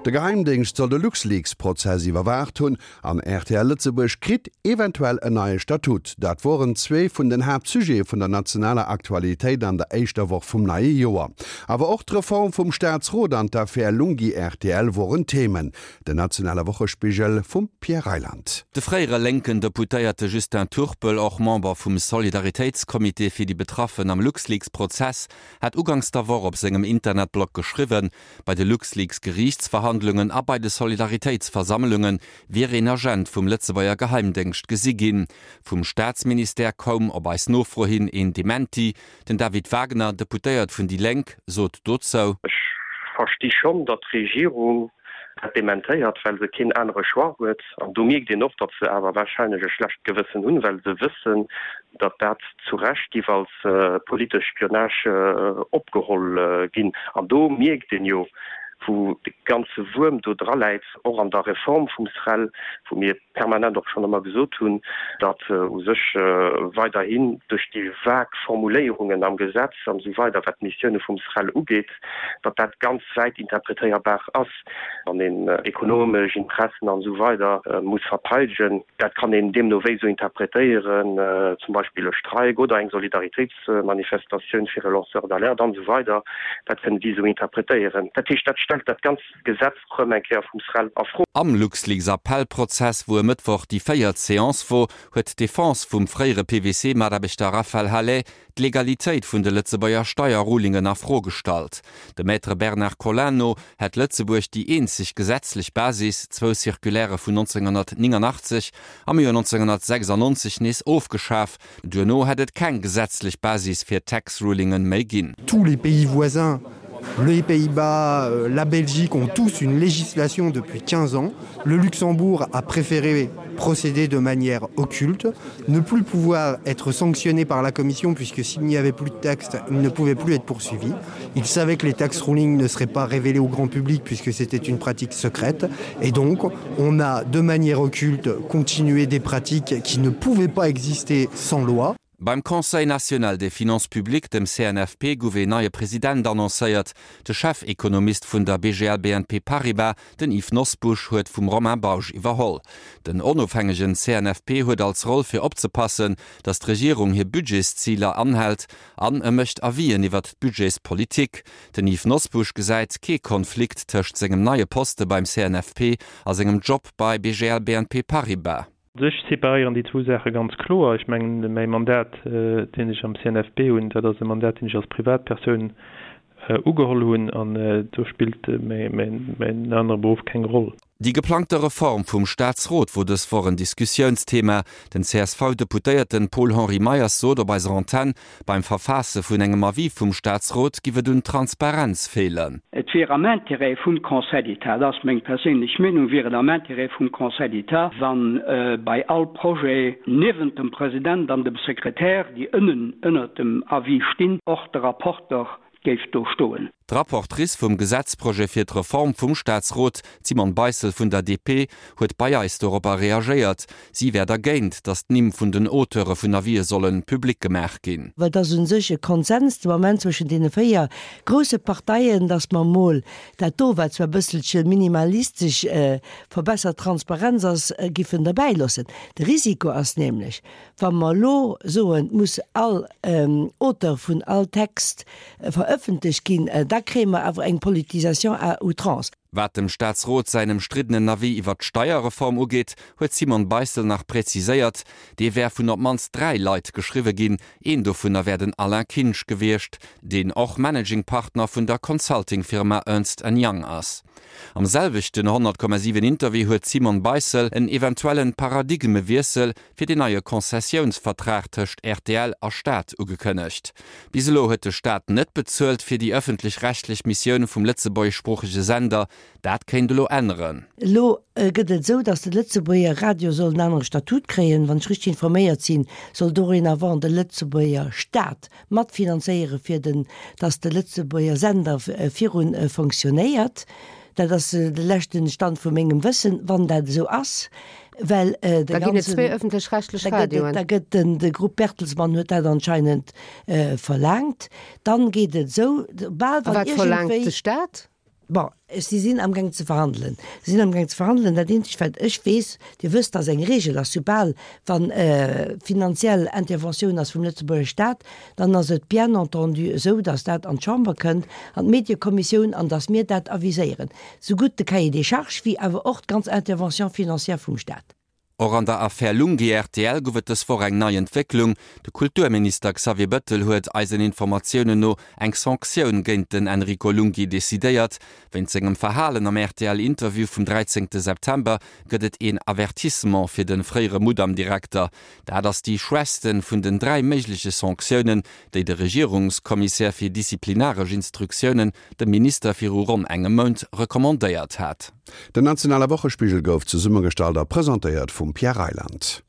De Geheimdéngscht soll de LuxLeaks-Prozess iwwerwaacht hunn an rtl Lëtzebuerg kritt eventuell en neie Statut. Dat woren zwee vun den Haaptsujete vun der nationaler Aktualitéit an der éischter Woch vum neie Joer. Awer och d'Reform vum Staatsrot an d'Affär Lunghi-RTL woren Themen. Den nationale Wochespigel vum Pierre Reyland. De fréiere lénken Deputéierte Justin Turpel, och Member vum Solidaritéitscomité fir déi Betraffen am LuxLeaks-Prozess, hat uganks der Woch op sengem Internetblog geschriwwen, bei de LuxLeaks-Geriichtsverhandlungen a bei de Solidaritéitsversammlunge wier een Agent vum Lëtzebuerger Geheimdéngscht gesi ginn. Vum Staatsministère koum op eis Nofro hin een Dementi. Den David Wagner, Deputéiert vun déi Lénk, sot dozou. Ech versti schonn, datt d'Regierung dat dementéiert, well se keen anere Choix huet. An do mierkt een och, datt se awer warscheinlech e schlecht Gewëssen hunn, well se wëssen, datt dat zu Recht giff als politesch Spionage opgeholl ginn. An do mierkt een jo, wou de ganze Wuerm do draläit, och an der Reform vum SREL, wou mir permanent och schonn ëmmer gesot hunn, datt u sech weiderhin duerch déi vag Formuléierungen am Gesetz an esou weider, wat d'Missioune vum SREL ugeet, datt dat ganz wäit interpretéierbar ass, wann een ekonomesch Interessen an esou weider muss verteidegen. Dat kann een deemno wéi esou interpretéieren, zum Beispill e Streik oder eng Solidaritéitsmanifestatioun fir e Lanceur d'alerte an esou weider. Dat kënnen déi esou interpretéieren. Dat heescht, dat stellt dat ganz Gesetz rëm eng Kéier vum SREL a Fro. Am LuxLeaks-Appellprozess, wou e Mëttwoch déi véiert Seance wor, huet d'Defense vum fréiere PwC-Mataarbechter Raphaël Halet d'Legalitéit vun de Lëtzebuerger Steierrulingen a Fro gestallt. Dem Maître Bernard Collin no hätt Lëtzebuerg déi eenzeg gesetzlech Basis, zwou Circulairë vun 1989 am Joer 1996 nees ofgeschaf. Duerno hätt et keng gesetzlech Basis fir Tax-Rulingen méi ginn. Tous les pays voisins Les Pays-Bas, euh, la Belgique ont tous une législation depuis 15 ans. Le Luxembourg a préféré procéder de manière occulte, ne plus pouvoir être sanctionné par la commission puisque s'il n'y avait plus de texte, il ne pouvait plus être poursuivi. Il savait que les taxes ruling ne seraient pas révélées au grand public puisque c'était une pratique secrète. Et donc on a de manière occulte continué des pratiques qui ne pouvaient pas exister sans loi. Beim Conseil national des finances publiques, dem CNFP, gouf een neie President annoncéiert. De Chefekonomist vun der BGL BNP Paribas, den Yves Nosbusch, huet vum Romain Bausch iwwerholl. Den onofhängegen CNFP huet als Roll fir opzepassen, datt d'Regierung hir Budgetsziler anhält an e mécht Avisen iwwert d'Budgetspolitik. Den Yves Nosbusch gesäit kee Konflikt tëscht sengem neie Poste beim CNFP a sengem Job bei BGL BNP Paribas. Sech separéieren déi zwou Saache ganz kloer. Ech mengen, mäi Mandat, deen ech am CNFP hunn, dat ass e Mandat, deen ech als Privatpersoun ugeholl hunn, an do spillt mäin anere Beruff keng Roll. Déi geplangte Reform vum Staatsrot wor dës Woch en Diskussiounsthema. Den CSV-Deputéierten Paul-Henri Meyers sot op eiser Antenn, Beim Verfaasse vun engem Avis vum Staatsrot giff et un Transparenz feelen. Et wier am Intérêt vum Conseil d'État, dat ass meng perséinlech Meenung, wier et am Intérêt vum Conseil d'État, wa bei all Projet niewent dem President an dem Sekretär, déi ënnen ënnert dem Avis stinn, och de Rapporter géif do stoen. D'Rapportrice vum Gesetzprojet fir d'Reform vum Staatsrot, d'Simone Beissel vun der DP, huet bei eis doropper reagéiert. Si wär dergéint, datt d'Nimm vun den Auteure vun Avisë solle public gemaach ginn. Well et ass u sech e Konsens de Moment zwëschen deene 4 grousse Parteien, datt mer emol dat do, wat zwar e bësselche minimalistesch verbessert Transparenz ass, giffen derbäi loossen. De Risiko ass nämlech, Wa mer elo soen, et muss all Auteur vun all Text verëffentlecht ginn, da kréie mer awer eng Politisation à outrance. Wat dem Staatsrot säin ëmstriddenen Avis iwwert d'Steierreform ugeet, huet d'Simone Beissel nach präziséiert, dee wär vun op d'mannst 3 Leit geschriwwe ginn. Een dovunner wär den Alain Kinsch gewiescht, deen och Managing Partner vun der Consulting-Firma Ernst and Young ass. Am selwechten 100,7 Interview huet d'Simone Beissel en eventuellen Paradigmewiessel fir den neie Konzessiounsvertrag tëscht rtl a Staat ugekënnegt. Bis elo huet de Staat net bezuelt fir déi ëffentlech-rechtlech Missioun vum lëtzebuergeschsproochege Sender. Dat kéint elo änneren. Elo gëtt et esou, datt de Lëtzebuerger Radio soll en anere Statut kréien. Wann ech richteg informéiert sinn, soll dorénavant de Lëtzebuerger Staat matfinanzéiere fir den, datt de Lëtzebuerger Sender virun fonctionnéiert. Dat ass de leschten Stand vu mengem Wëssen, wann dat esou ass, well de Da ginn et zwee ëffentlech-rechtlech Radioen. Da gëtt den, de Groupe Bertelsmann huet dat anscheinend verlaangt. Dann geet et esou, bal wann iergendwéi. A wat verlaangt de Staat? Bon, si sinn amgaang ze verhandelen. Si sinn amgaang ze verhandelen. Dat eenzegt, wat ech weess, Dir wësst, dass eng Regel ass, soubal wann finanziell Interventioun ass vum Lëtzebuerger Stat, dann ass et bien entendu esou, dass dat an d'Chamber kënnt, an d'Mediekommissioun, an dass mir dat aviséieren, sougutt de Cahier des charges wéi awer och d'ganz Intervention financière vum Stat. Och an der Affär Lunghi-RTL gouf et dës Woch eng nei Entwécklung. De Kulturminister Xavier Bëttel huet eisen Informatiounen no eng Sanktioun géint den Enrico Lunghi decidéiert. Wéint sengem Verhalen am RTL-Interview vum 13 September gëtt et een Avertissement fir de fréiere Mudam-Direkter. Dat ass déi schwächste vun den 3 méigleche Sanktiounen, déi de Regierungskommissär fir disziplinaresch Instruktiounen dem Minister viru ronn engem Mount recommandéiert hat. Den nationale Wochespigel gouf zesummegestallt a presentéiert vum Pierre Reyland.